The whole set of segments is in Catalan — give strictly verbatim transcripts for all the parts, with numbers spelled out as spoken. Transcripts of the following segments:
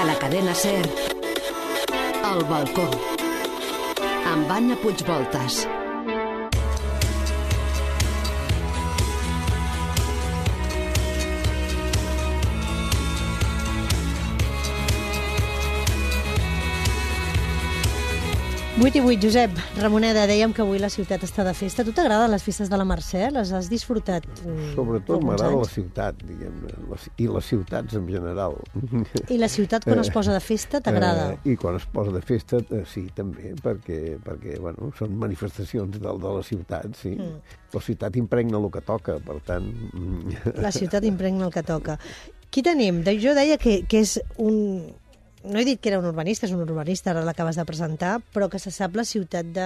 A la cadena SER, El balcó, amb Anna Puigvoltas. vuit i vuit, Josep. Ramoneda, dèiem que avui la ciutat està de festa. A tu t'agraden les festes de la Mercè? Les has disfrutat? Sobretot m'agrada la ciutat, diguem-ne, i les ciutats en general. I la ciutat quan es posa de festa t'agrada? Eh, I quan es posa de festa, eh, sí, també, perquè, perquè bueno, són manifestacions de, de la ciutat, sí. Mm. La ciutat impregna el que toca, per tant... La ciutat impregna el que toca. Qui tenim? Jo deia que, que és un... No he dit que era un urbanista, és un urbanista, ara l'acabes de presentar, però que se sap la ciutat de,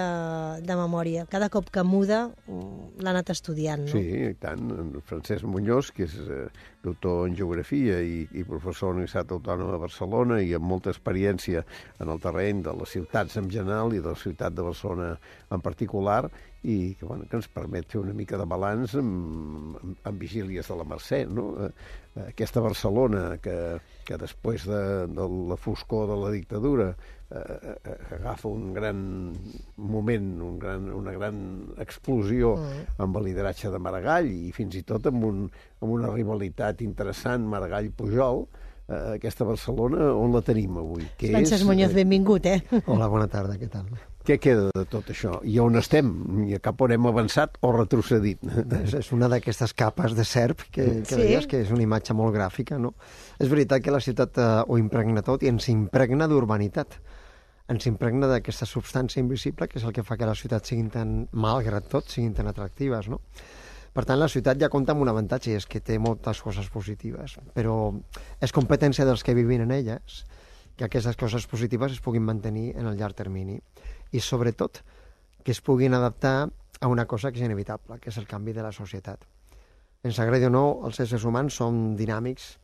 de memòria. Cada cop que muda l'ha anat estudiant, no? Sí, i tant. En Francesc Muñoz, que és eh, doctor en geografia i, i professor a la Universitat Autònoma de Barcelona i amb molta experiència en el terreny de les ciutats en general i de la ciutat de Barcelona en particular, i que, bueno, que ens permet fer una mica de balanç amb, amb, amb vigílies de la Mercè, no? Aquesta Barcelona que, que després de, de la foscor de la dictadura eh, agafa un gran moment, un gran, una gran explosió mm. amb el lideratge de Maragall i fins i tot amb, un, amb una rivalitat interessant Maragall-Pujol. Eh, aquesta Barcelona, on la tenim avui? Que Francesc és, Muñoz, benvingut, eh? Hola, bona tarda, què tal? Què queda de tot això? I on estem? I cap on hem avançat o retrocedit? És, és una d'aquestes capes de serp que, que sí. deies que és una imatge molt gràfica, no? És veritat que la ciutat eh, ho impregna tot i ens impregna d'urbanitat. Ens impregna d'aquesta substància invisible que és el que fa que les ciutats siguin tan, malgrat tot, siguin tan atractives, no? Per tant, la ciutat ja compta amb un avantatge, és que té moltes coses positives, però és competència dels que vivim en elles que aquestes coses positives es puguin mantenir en el llarg termini i, sobretot, que es puguin adaptar a una cosa que és inevitable, que és el canvi de la societat. Ens agradi o no, els éssers humans som dinàmics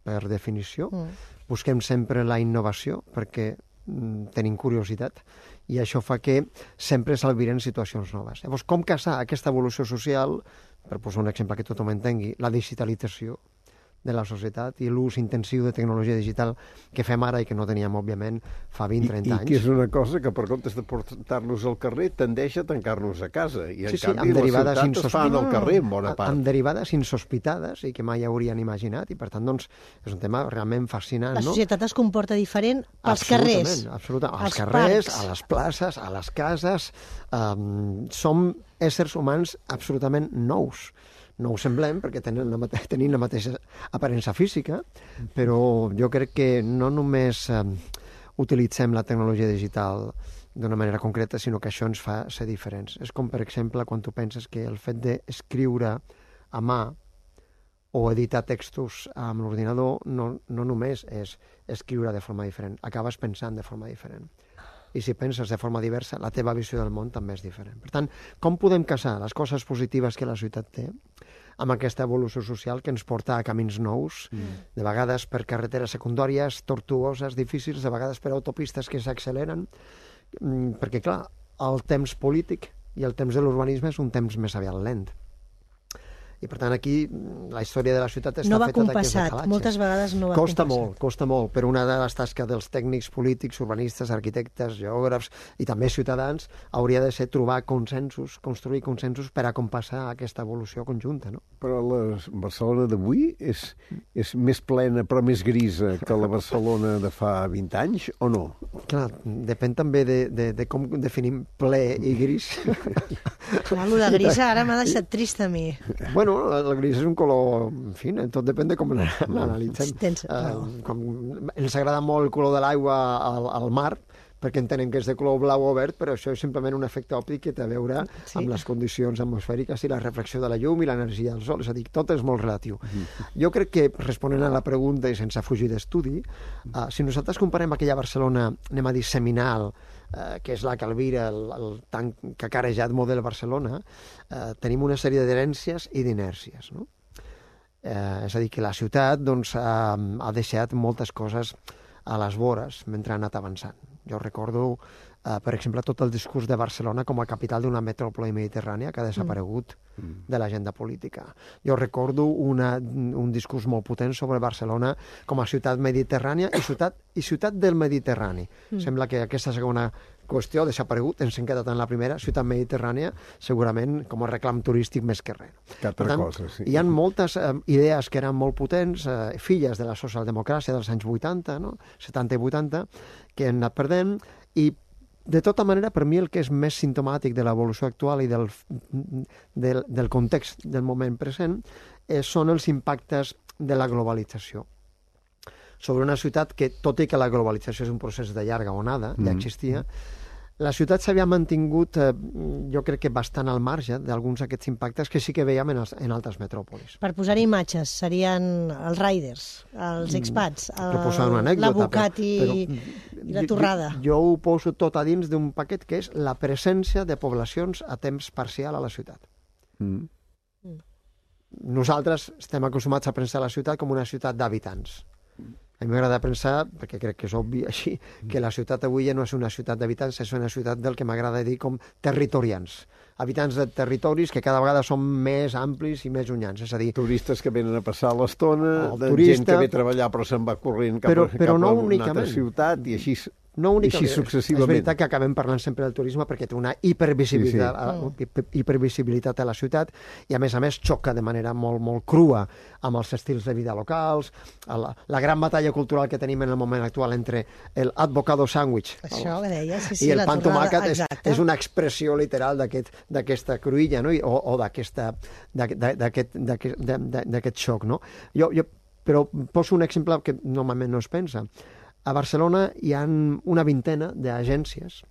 per definició, mm. busquem sempre la innovació perquè mm, tenim curiositat i això fa que sempre s'albiren situacions noves. Llavors, com casar aquesta evolució social, per posar un exemple que tothom entengui, la digitalització de la societat i l'ús intensiu de tecnologia digital que fem ara i que no teníem, òbviament, fa vint trenta anys. I que és una cosa que, per comptes de portar-nos al carrer, tendeix a tancar-nos a casa. I, en sí, sí, canvi, la ciutat insosp... es fa al carrer, en bona part. Amb derivades insospitades i que mai haurien imaginat. I, per tant, doncs, és un tema realment fascinant, no? La societat no? es comporta diferent pels absolutament, carrers. Absolutament, als als carrers, parcs. a les places, a les cases. Um, som éssers humans absolutament nous. No ho semblem perquè tenen la, mate tenim la mateixa aparença física, però jo crec que no només eh, utilitzem la tecnologia digital d'una manera concreta, sinó que això ens fa ser diferents. És com, per exemple, quan tu penses que el fet d'escriure a mà o editar textos amb l'ordinador no, no només és escriure de forma diferent, acabes pensant de forma diferent. I si penses de forma diversa, la teva visió del món també és diferent. Per tant, com podem casar les coses positives que la ciutat té amb aquesta evolució social que ens porta a camins nous, mm. de vegades per carreteres secundàries, tortuoses, difícils, de vegades per autopistes que s'acceleren, perquè, clar, el temps polític i el temps de l'urbanisme és un temps més aviat lent. I, per tant, aquí la història de la ciutat està no va feta d'aquest compassat. decalatge. Moltes vegades no va costa compassat. molt, costa molt, però una de les tasques dels tècnics polítics, urbanistes, arquitectes, geògrafs i també ciutadans hauria de ser trobar consensos, construir consensos per a compassar aquesta evolució conjunta, no? Però la Barcelona d'avui és, és més plena però més grisa que la Barcelona de fa vint anys, o no? Clar, depèn també de, de, de com definim ple i gris. Clar, el de grisa ara m'ha deixat trist a mi. Bueno, el gris és un color, en fi, tot depèn de com l'analitzem. Tens, uh, com, ens agrada molt el color de l'aigua al, al mar, perquè entenem que és de color blau o verd, però això és simplement un efecte òptic que té a veure sí. amb les condicions atmosfèriques i la reflexió de la llum i l'energia del sol. És a dir, tot és molt relatiu. Mm. Jo crec que, responent a la pregunta i sense fugir d'estudi, uh, si nosaltres comparem aquella Barcelona, anem a dir, seminal, uh, que és la que albira el, el tan cacarejat model Barcelona, uh, tenim una sèrie d'herències i d'inèrcies, no? Uh, és a dir, que la ciutat doncs, uh, ha deixat moltes coses a les vores mentre ha anat avançant. Jo recordo, uh, per exemple, tot el discurs de Barcelona com a capital d'una metròpoli mediterrània que ha desaparegut mm. de l'agenda política. Jo recordo una, un discurs molt potent sobre Barcelona com a ciutat mediterrània i ciutat, i ciutat del Mediterrani. Mm. Sembla que aquesta segona qüestió ha desaparegut, ens hem quedat en la primera, ciutat mediterrània, segurament com a reclam turístic més que res. Que altra tant, cosa, sí. Hi ha moltes eh, idees que eren molt potents, eh, filles de la socialdemocràcia dels anys vuitanta, no? setanta i vuitanta, que han anat perdent, i de tota manera, per mi el que és més simptomàtic de l'evolució actual i del, del, del context del moment present eh, són els impactes de la globalització sobre una ciutat que, tot i que la globalització és un procés de llarga onada, mm. ja existia, la ciutat s'havia mantingut, eh, jo crec que bastant al marge d'alguns d'aquests impactes que sí que veiem en, els, en altres metròpolis. Per posar imatges, serien els riders, els expats, el, l'abocat i, i la torrada. Jo, jo ho poso tot a dins d'un paquet que és la presència de poblacions a temps parcial a la ciutat. Mm. Mm. Nosaltres estem acostumats a pensar la ciutat com una ciutat d'habitants. A mi m'agrada pensar, perquè crec que és obvi així, que la ciutat avui ja no és una ciutat d'habitants, és una ciutat del que m'agrada dir com territorians. Habitants de territoris que cada vegada són més amplis i més llunyans. És a dir, turistes que venen a passar l'estona, de turista, gent que ve a treballar però se'n va corrent cap, però, però cap no a una únicament. altra ciutat i així... No únicament, així successivament. És veritat que acabem parlant sempre del turisme perquè té una hipervisibilitat, sí, sí. hipervisibilitat a la ciutat i, a més a més, xoca de manera molt, molt crua amb els estils de vida locals, la, la gran batalla cultural que tenim en el moment actual entre el avocado sandwich Això que deia, sí, sí, i el la pan tomàquet és, és una expressió literal d'aquesta aquest, cruïlla, no? I, o, o d'aquest xoc. No? Jo, jo, però poso un exemple que normalment no es pensa. A Barcelona hi ha una vintena d'agències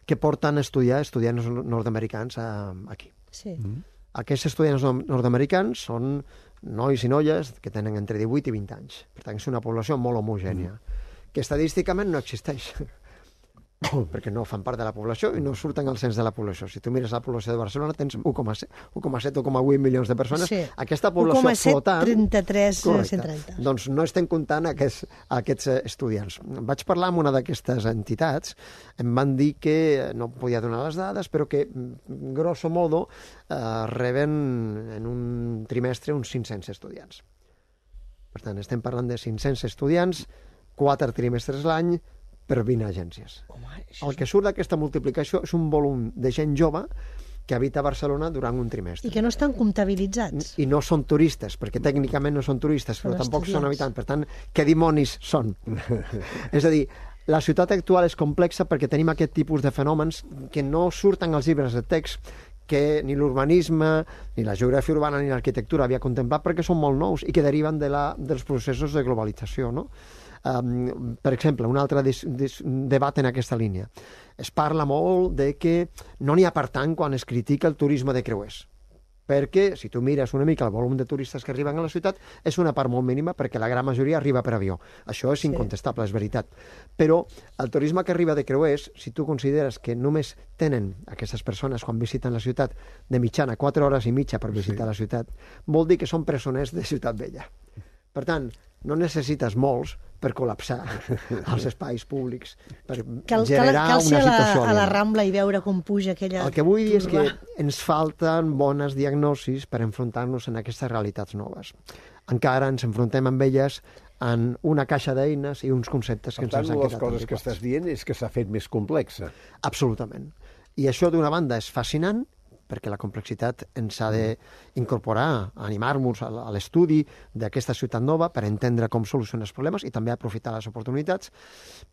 que porten a estudiar estudiants nord-americans aquí. Sí. Mm. Aquests estudiants nord-americans són nois i noies que tenen entre divuit i vint anys. Per tant, és una població molt homogènia, mm. que estadísticament no existeix. perquè no fan part de la població i no surten al cens de la població. Si tu mires la població de Barcelona tens u coma set, u coma set, u coma vuit milions de persones. Sí. Aquesta població u coma set, flotant... trenta-tres, cent trenta. Doncs no estem comptant aquests, aquests estudiants. Vaig parlar amb una d'aquestes entitats, em van dir que, no podia donar les dades, però que, grosso modo, eh, reben en un trimestre uns cinc-cents estudiants. Per tant, estem parlant de cinc-cents estudiants, quatre trimestres l'any, per vint agències. Home, el que surt d'aquesta multiplicació és un volum de gent jove que habita a Barcelona durant un trimestre. I que no estan comptabilitzats. I no són turistes, perquè tècnicament no són turistes, però són tampoc estudiants. Són habitants. Per tant, què dimonis són? És a dir, la ciutat actual és complexa perquè tenim aquest tipus de fenòmens que no surten als llibres de text, que ni l'urbanisme, ni la geografia urbana, ni l'arquitectura havia contemplat perquè són molt nous i que deriven de la, dels processos de globalització, no? Um, per exemple, un altre dis, dis, debat en aquesta línia. Es parla molt de que no n'hi ha per tant quan es critica el turisme de creuers. Perquè, si tu mires una mica el volum de turistes que arriben a la ciutat, és una part molt mínima perquè la gran majoria arriba per avió. Això és incontestable, és veritat. Però el turisme que arriba de creuers, si tu consideres que només tenen aquestes persones quan visiten la ciutat de mitjana quatre hores i mitja per visitar sí. la ciutat, vol dir que són presoners de Ciutat Vella. Per tant, no necessites molts per col·lapsar els espais públics, per cal, generar cal, cal una situació. Cal ser a la Rambla i veure com puja aquella... El que vull dir és turba. que ens falten bones diagnosis per enfrontar-nos en aquestes realitats noves. Encara ens enfrontem amb elles en una caixa d'eines i uns conceptes que per ens tant, han quedat les coses antiquats. que estàs dient és que s'ha fet més complexa. Absolutament. I això, d'una banda, és fascinant, perquè la complexitat ens ha d'incorporar, animar-nos a l'estudi d'aquesta ciutat nova per entendre com solucionar els problemes i també aprofitar les oportunitats,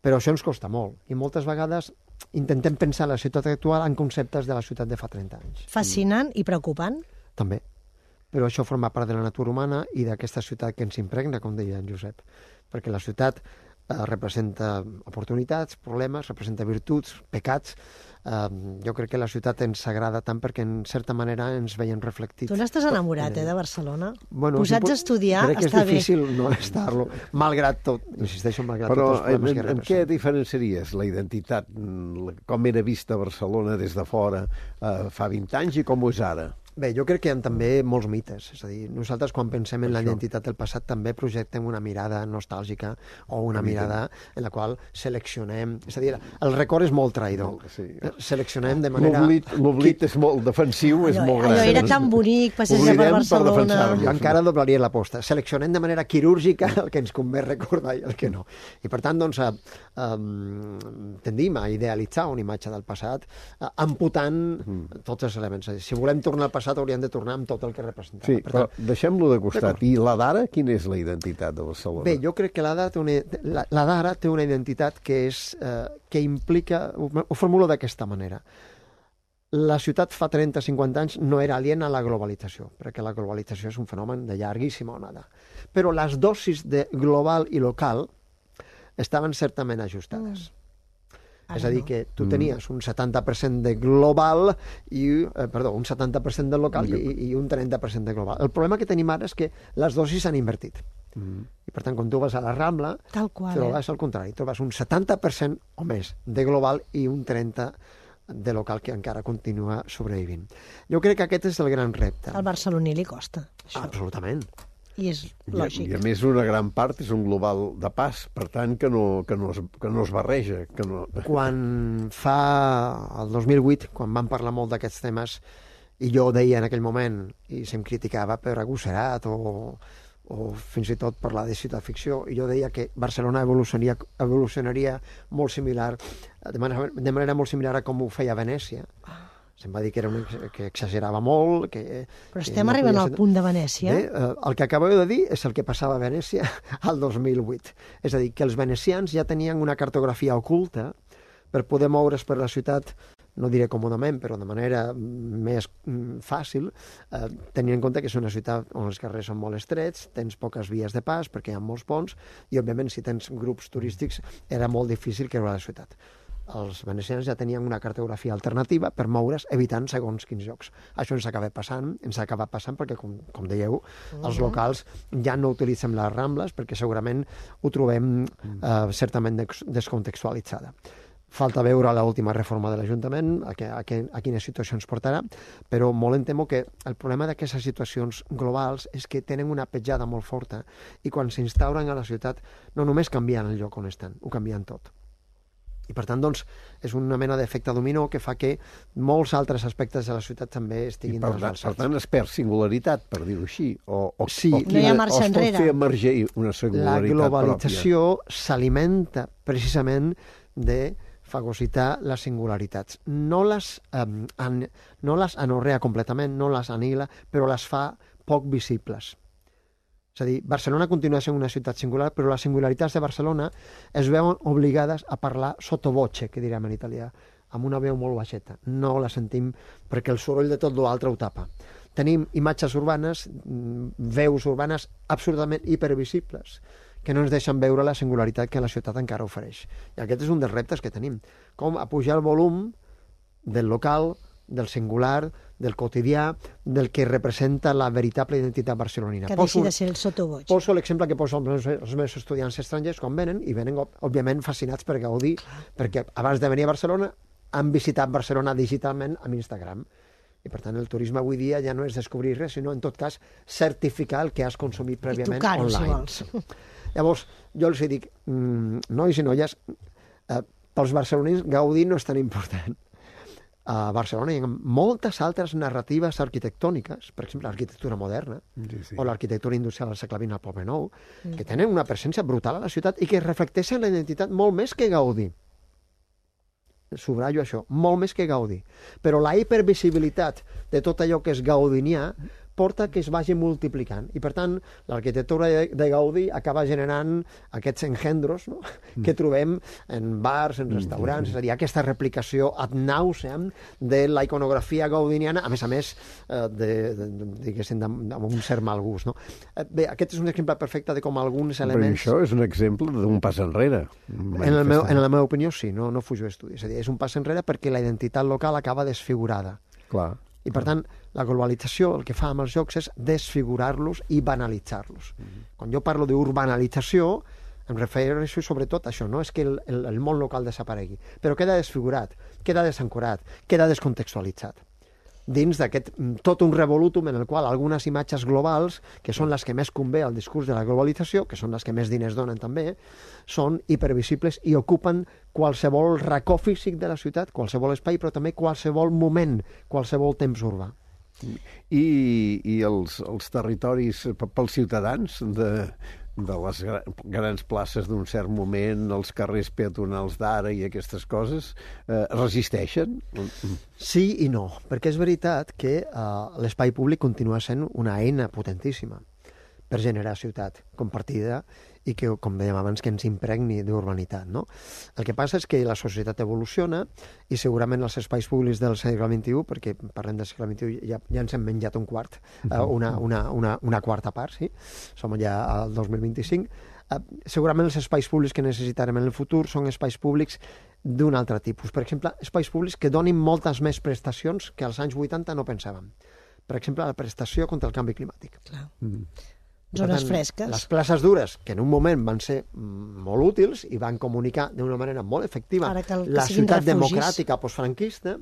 però això ens costa molt. I moltes vegades intentem pensar la ciutat actual en conceptes de la ciutat de fa trenta anys. Fascinant i preocupant? També. Però això forma part de la natura humana i d'aquesta ciutat que ens impregna, com deia en Josep. Perquè la ciutat eh, representa oportunitats, problemes, representa virtuts, pecats. Uh, jo crec que la ciutat ens agrada tant perquè en certa manera ens veiem reflectits. Tu n'estàs enamorat, eh, de Barcelona? Bueno, posats a estudiar, crec que és està difícil bé. no estar-lo, malgrat tot, insisteixo, malgrat Però tots els problemes en, que en representa. què diferenciaries la identitat, com era vista Barcelona des de fora eh, fa vint anys i com ho és ara? Bé, jo crec que hi ha també molts mites. És a dir, nosaltres quan pensem en la identitat del passat també projectem una mirada nostàlgica o una mirada en la qual seleccionem... És a dir, el record és molt traïdor. Sí. Seleccionem de manera... L'oblit és molt defensiu, és molt gran. Allò era tan bonic, passejar per Barcelona... Jo encara doblaria l'aposta. Seleccionem de manera quirúrgica el que ens convé recordar i el que no. I per tant, doncs, um, tendim a idealitzar una imatge del passat uh, amputant mm. tots els elements. Si volem tornar al passat, hauríem de tornar amb tot el que representava. Sí, per però tant, deixem-lo de costat. I la d'ara, quina és la identitat de Barcelona? Bé, jo crec que la d'ara té una, la, la d'ara té una identitat que, és, eh, que implica... Ho, ho formulo d'aquesta manera. La ciutat fa trenta a cinquanta anys no era aliena a la globalització, perquè la globalització és un fenomen de llarguíssima onada. Però les dosis de global i local estaven certament ajustades. Mm. És a dir, que tu tenies un setanta per cent de global i, eh, perdó, un setanta per cent de local i, i un trenta per cent de global. El problema que tenim ara és que les dosis s'han invertit. Mm. I per tant, quan tu vas a la Rambla, Tal qual, trobes eh? al contrari, trobes un setanta per cent o més de global i un trenta per cent de local que encara continua sobrevivint. Jo crec que aquest és el gran repte. Al barceloní li costa, això. Absolutament. I és lògic. I, I a més una gran part és un global de pas, per tant que no, que no, es, que no es barreja. Que no... Quan fa el dos mil vuit, quan vam parlar molt d'aquests temes, i jo deia en aquell moment, i se'm criticava per agosserat o, o fins i tot parlar de ciutat-ficció, i jo deia que Barcelona evolucionaria, evolucionaria molt similar, de manera, de manera molt similar a com ho feia Venècia. Se'm va dir que, era un, que exagerava molt... Que, Però estem que no arribant al ser... punt de Venècia. Bé, eh, el que acabeu de dir és el que passava a Venècia al dos mil vuit. És a dir, que els venecians ja tenien una cartografia oculta per poder moure's per la ciutat, no diré còmodament, però de manera més fàcil, eh, tenint en compte que és una ciutat on els carrers són molt estrets, tens poques vies de pas perquè hi ha molts ponts, i òbviament si tens grups turístics era molt difícil creure la ciutat. Els venecians ja tenien una cartografia alternativa per moure's evitant segons quins llocs. Això ens acaba passant, ens acaba passant perquè, com, com dèieu, uh-huh. els locals ja no utilitzen les Rambles perquè segurament ho trobem eh, certament descontextualitzada. Falta veure l'última reforma de l'Ajuntament, a, a, a quines situacions portarà, però molt em temo que el problema d'aquestes situacions globals és que tenen una petjada molt forta i quan s'instauren a la ciutat no només canvien el lloc on estan, ho canvien tot. I per tant, doncs, és una mena d'efecte dominó que fa que molts altres aspectes de la ciutat també estiguin trasbalsats. Per tant, es perd singularitat, per dir-ho així. O, o, sí, o, no hi ha marxa o es pot enrere. fer emergir una singularitat pròpia. La globalització s'alimenta precisament de fagocitar les singularitats. No les, eh, an, no les anorrea completament, no les anila, però les fa poc visibles. És a dir, Barcelona continua sent una ciutat singular, però les singularitats de Barcelona es veuen obligades a parlar sottovoce, que direm en italià, amb una veu molt baixeta. No la sentim perquè el soroll de tot l'altre ho tapa. Tenim imatges urbanes, veus urbanes absolutament hipervisibles, que no ens deixen veure la singularitat que la ciutat encara ofereix. I aquest és un dels reptes que tenim. Com apujar el volum del local, del singular, del quotidià, del que representa la veritable identitat barcelonina. Que deixi de ser el sottovoce. Poso l'exemple que poso els meus, els meus estudiants estrangers quan venen, i venen, òbviament, fascinats per gaudir, perquè abans de venir a Barcelona han visitat Barcelona digitalment amb Instagram. I, per tant, el turisme avui dia ja no és descobrir res, sinó, en tot cas, certificar el que has consumit prèviament online. I tocar-ho, si vols. Llavors, jo els dic, mmm, nois i noies, eh, pels barcelonins gaudir no és tan important. A Barcelona hi ha moltes altres narratives arquitectòniques, per exemple, l'arquitectura moderna, sí, sí. o l'arquitectura industrial al segle vint al Poble Nou, mm. que tenen una presència brutal a la ciutat i que reflecteixen la identitat molt més que Gaudí. Subratllo això, molt més que Gaudí. Però la hipervisibilitat de tot allò que és gaudinià porta que es vagi multiplicant. I, per tant, l'arquitectura de Gaudí acaba generant aquests engendros, no? mm. que trobem en bars, en restaurants, mm. és a dir, aquesta replicació ad nauseam de la iconografia gaudiniana, a més a més, eh, de, de, diguéssim, amb un cert mal gust. No? Bé, aquest és un exemple perfecte de com alguns elements... Però això és un exemple d'un pas enrere. En, el meu, en la meva opinió, sí, no, no fujo d'estudi. És a dir, és un pas enrere perquè la identitat local acaba desfigurada. Clar. I, per tant, la globalització el que fa amb els jocs és desfigurar-los i banalitzar-los. Mm-hmm. Quan jo parlo d'urbanalització, em refereixo sobretot a això, no és que el, el, el món local desaparegui, però queda desfigurat, queda desancorat, queda descontextualitzat. dins d'aquest tot un revolutum en el qual algunes imatges globals, que són les que més convé al discurs de la globalització, que són les que més diners donen també, són hipervisibles i ocupen qualsevol racó físic de la ciutat, qualsevol espai, però també qualsevol moment, qualsevol temps urbà. I, i els, els territoris pels ciutadans de, de les grans places d'un cert moment, els carrers peatonals d'ara i aquestes coses, eh, resisteixen? Sí i no, perquè és veritat que eh, l'espai públic continua sent una eina potentíssima per generar ciutat compartida i que, com dèiem abans, que ens impregni d'urbanitat, no? El que passa és que la societat evoluciona i segurament els espais públics del segle vint-i-u, perquè parlem del segle vint-i-u, ja, ja ens hem menjat un quart, uh, una, una, una, una quarta part, sí? Som ja al dos mil vint-i-cinc. Uh, segurament els espais públics que necessitarem en el futur són espais públics d'un altre tipus. Per exemple, espais públics que donin moltes més prestacions que als anys vuitanta no pensàvem. Per exemple, la prestació contra el canvi climàtic. Clar. Mm. Zones tant, fresques. Les places dures, que en un moment van ser molt útils i van comunicar d'una manera molt efectiva Ara que el- que la siguin ciutat refugis. democràtica postfranquista,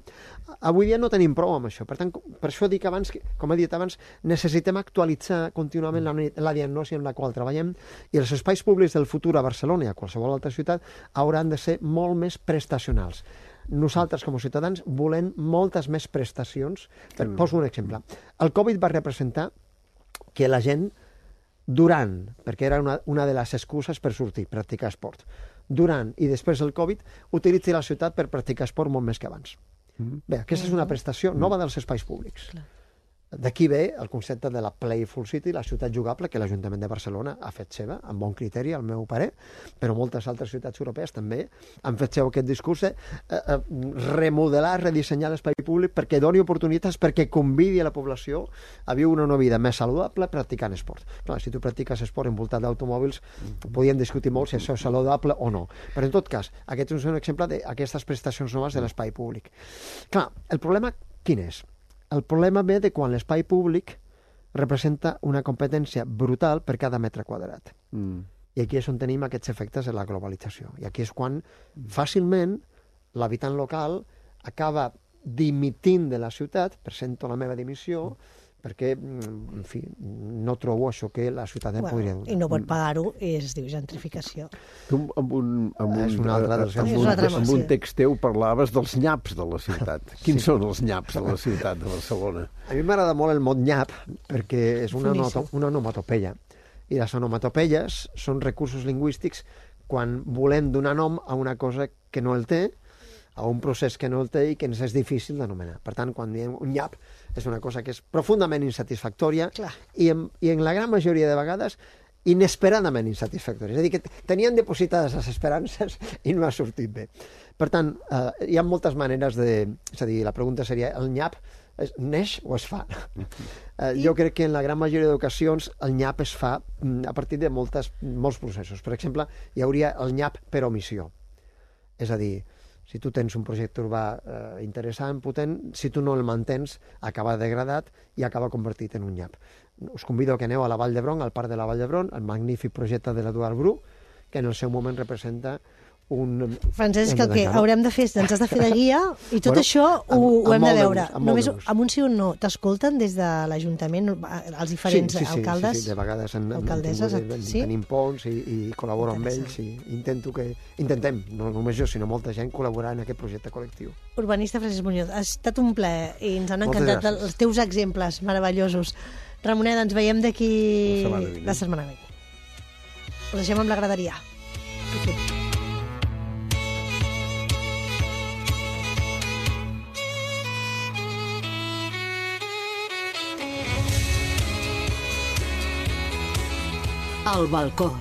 avui dia no tenim prou amb això. Per tant, per això dic abans, que, com he dit abans, necessitem actualitzar contínuament la, la diagnosi amb la qual treballem i els espais públics del futur a Barcelona i a qualsevol altra ciutat hauran de ser molt més prestacionals. Nosaltres, com a ciutadans, volem moltes més prestacions. Per, poso un exemple. El Covid va representar que la gent durant, perquè era una, una de les excuses per sortir, practicar esport, durant i després del Covid, utilitzi la ciutat per practicar esport molt més que abans. Mm-hmm. Bé, aquesta és una prestació nova dels espais públics. Clar. D'aquí ve el concepte de la Playful City, la ciutat jugable, que l'Ajuntament de Barcelona ha fet seva, amb bon criteri, al meu parer, però moltes altres ciutats europees també han fet seu aquest discurs de eh, eh, remodelar, redissenyar l'espai públic perquè doni oportunitats, perquè convidi a la població a viure una vida més saludable practicant esport. Clar, si tu practiques esport envoltat d'automòbils, podíem discutir molt si això és saludable o no. Però en tot cas, aquest és un exemple d'aquestes prestacions noves de l'espai públic. Clar, el problema quin és? El problema ve de quan l'espai públic representa una competència brutal per cada metre quadrat. Mm. I aquí és on tenim aquests efectes de la globalització. I aquí és quan fàcilment l'habitant local acaba dimitint de la ciutat, presento la meva dimissió, perquè, en fi, no trobo això que la ciutat em Bueno, podria donar. I no pot pagar-ho i es diu gentrificació. Tu amb un, amb un, És un altre dels amb És un, una altra amb un emoció. text teu parlaves dels nyaps de la ciutat. Quins Sí. són els nyaps de la ciutat de Barcelona? A mi m'agrada molt el mot nyap perquè és una, Boníssim. noto, una onomatopeia. I les onomatopeies són recursos lingüístics quan volem donar nom a una cosa que no el té, a un procés que no el té i que ens és difícil d'anomenar. Per tant, quan diem un nyap, és una cosa que és profundament insatisfactòria Clar. i en, i en la gran majoria de vegades inesperadament insatisfactòria. És a dir, que tenien depositades les esperances i no ha sortit bé. Per tant, eh, hi ha moltes maneres de... És a dir, la pregunta seria, el nyap es, neix o es fa? Eh, jo crec que en la gran majoria d'ocasions el nyap es fa mm, a partir de moltes, molts processos. Per exemple, hi hauria el nyap per omissió. És a dir, si tu tens un projecte urbà eh, interessant, potent, si tu no el mantens, acaba degradat i acaba convertit en un nyap. Us convido que aneu a la Vall d'Hebron, al Parc de la Vall d'Hebron, el magnífic projecte de l'Eduard Bru, que en el seu moment representa un... Francesc, el que Hem de haurem de fer és ens has de fer de guia i tot Bueno, això ho, amb- ho amb hem de molt de veure. gust, amb molt Només de gust. amb un sí o un no. T'escolten des de l'Ajuntament, els diferents sí, sí, sí, alcaldes? Sí, sí, de vegades en, alcaldesses, en, en, sí? tenim ponts i, i col·laboro amb ells i intento que... Intentem, no només jo, sinó molta gent, col·laborar en aquest projecte col·lectiu. Urbanista Francesc Muñoz, ha estat un plaer i ens han Moltes encantat gràcies. els teus exemples meravellosos. Ramoneda, ens veiem d'aquí La setmana vinent. la setmana vinent. Us deixem amb la graderia. Al balcó.